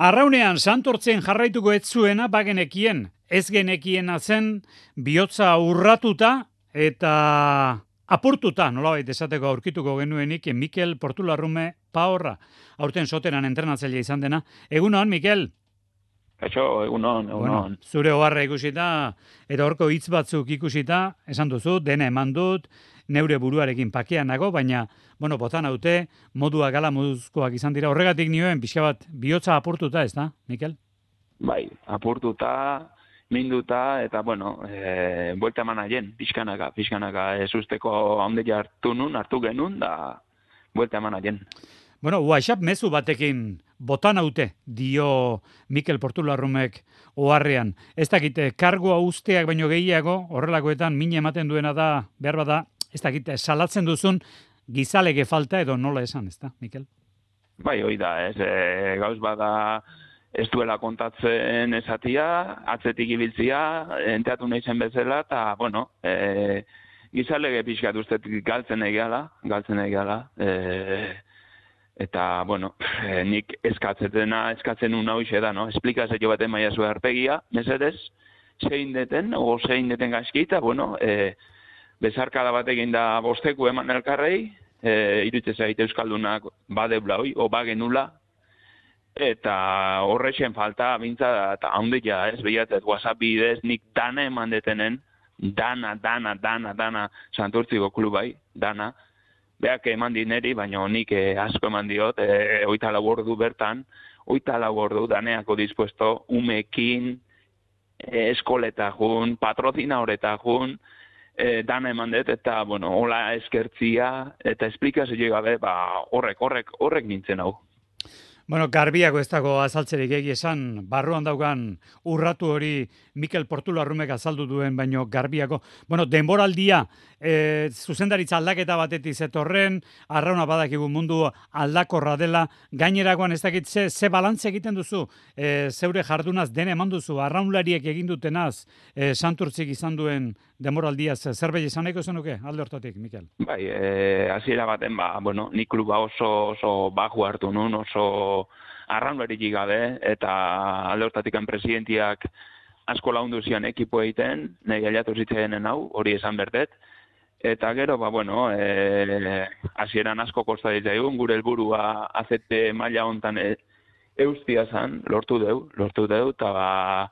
Arraunean santortzen jarraituko ez zuena bagenekien, ez genekiena zen bihotza urratuta eta apurtuta, nolabait esateko aurkituko genuenik Mikel Portularrume Paorra, aurten soteran entrenatzaile izan dena. Egunon, Mikel? Kaixo, egunon. Bueno, zure oharra ikusita eta horko hitz batzuk ikusita, esan duzu, dena eman dut, neure buruarekin pakean nago, baina, botan haute, modua gala moduzkoak izan dira. Horregatik nioen, pixka bat, bihotza apurtuta, ez da, Mikel? Bai, apurtuta, minduta, eta, buelta eman aien, pixkanaka, ez usteko haunde hartu genuen, da, buelta eman aien. WhatsApp mezu batekin botan haute, dio Mikel Portularrumek oharrean. Ez dakite, kargoa usteak baino gehiago, horrelakoetan min ematen duena da, behar bada, ez dakite, salatzen duzun gizalege falta edo nola esan, ez da, Mikel? Bai, hoi da, gauz bada ez duela kontatzen esatia, atzetik ibiltzia, enteatu nahi zen bezala, eta, gizalege pixkat usteet galtzen egala, eta, nik eskatzen un hau da, no? Esplikazio baten maia zuen arpegia, mesedez, zein deten gaizki, eta, bezarkada batekin da bosteku eman elkarrei, iruditzen zait euskaldunak badeula hoi, o bagenula, eta horrexen falta, bintza, eta haundia, ez behiatzet, WhatsApp bidez, nik dana eman detenen, dana, santurtziko klubai, dana, beak eman dineri, baina nik asko eman diot, 24 ordu bertan, 24 ordu daneako dispuesto, umekin, eskoleta jun, patrozina horeta jun, dana eman dut, eta, hola eskertzia, eta esplikazio gabe, horrek nintzen hau. Garbiako ez dago azaltzerik egi esan, barruan daukan urratu hori Mikel Portularrumek azaldu duen, baino Garbiako. Denboraldia, zuzendaritza aldaketa batetik zetorren, arrauna badakigu mundu aldakorra dela, gainerakoan ez dakit ze balantze egiten duzu, zeure jardunaz dene eman duzu, arraunlariek egin dutenaz, santurtzik izan duen denboraldiaz, zerbait izan nahiko zenuke, alde hortatik, Mikel? Bai, hasiera baten, nik kluba oso baju hartu nun, oso arraunlarik gabe, eta alde hortatik presidentiak asko laundu zian ekipo egiten, nahi aliatu zitzaenen hau, hori esan berdet, eta gero, hasieran asko kosta ditzaigun, gure helburua azete maila hontan eustia zan, lortu deu, eta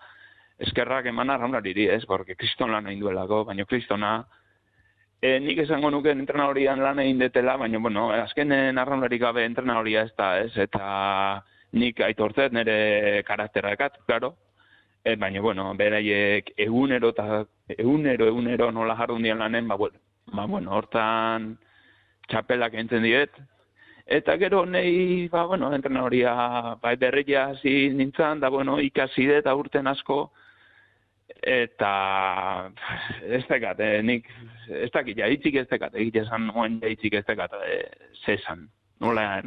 eskerrak eman arraunlariri, ez, porque kriston lan egin duelako, baina kristona, nik esango nuke entrenadorian lan egin detela, baina, azkenen arraunlarik gabe entrenadoria ez da, ez, eta nik aitortzet nire karakterrakat, claro, baina, beraiek egunero nola jardun dian lanen, hortan txapelak entzen diet, eta gero nahi, entrenadoria berria hasi nintzen, da, ikasi dut aurten asko, eta ez dekat, nik ez dakit, jaitzik ez dekat, egitesan moen jaitzik ez dekat, zesan, nola,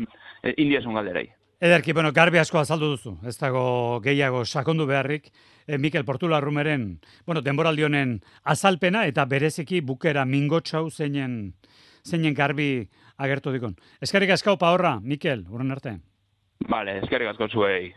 indiasun galderai. Ederki, garbi asko azaldu duzu, ez dago gehiago sakondu beharrik, Mikel Portularrumeren, denboraldi honen azalpena eta bereziki bukera mingotxau zeinen garbi agertu dikon. Eskerrik asko Paorra, Mikel, urren arte. Bale, eskerrik asko zuei.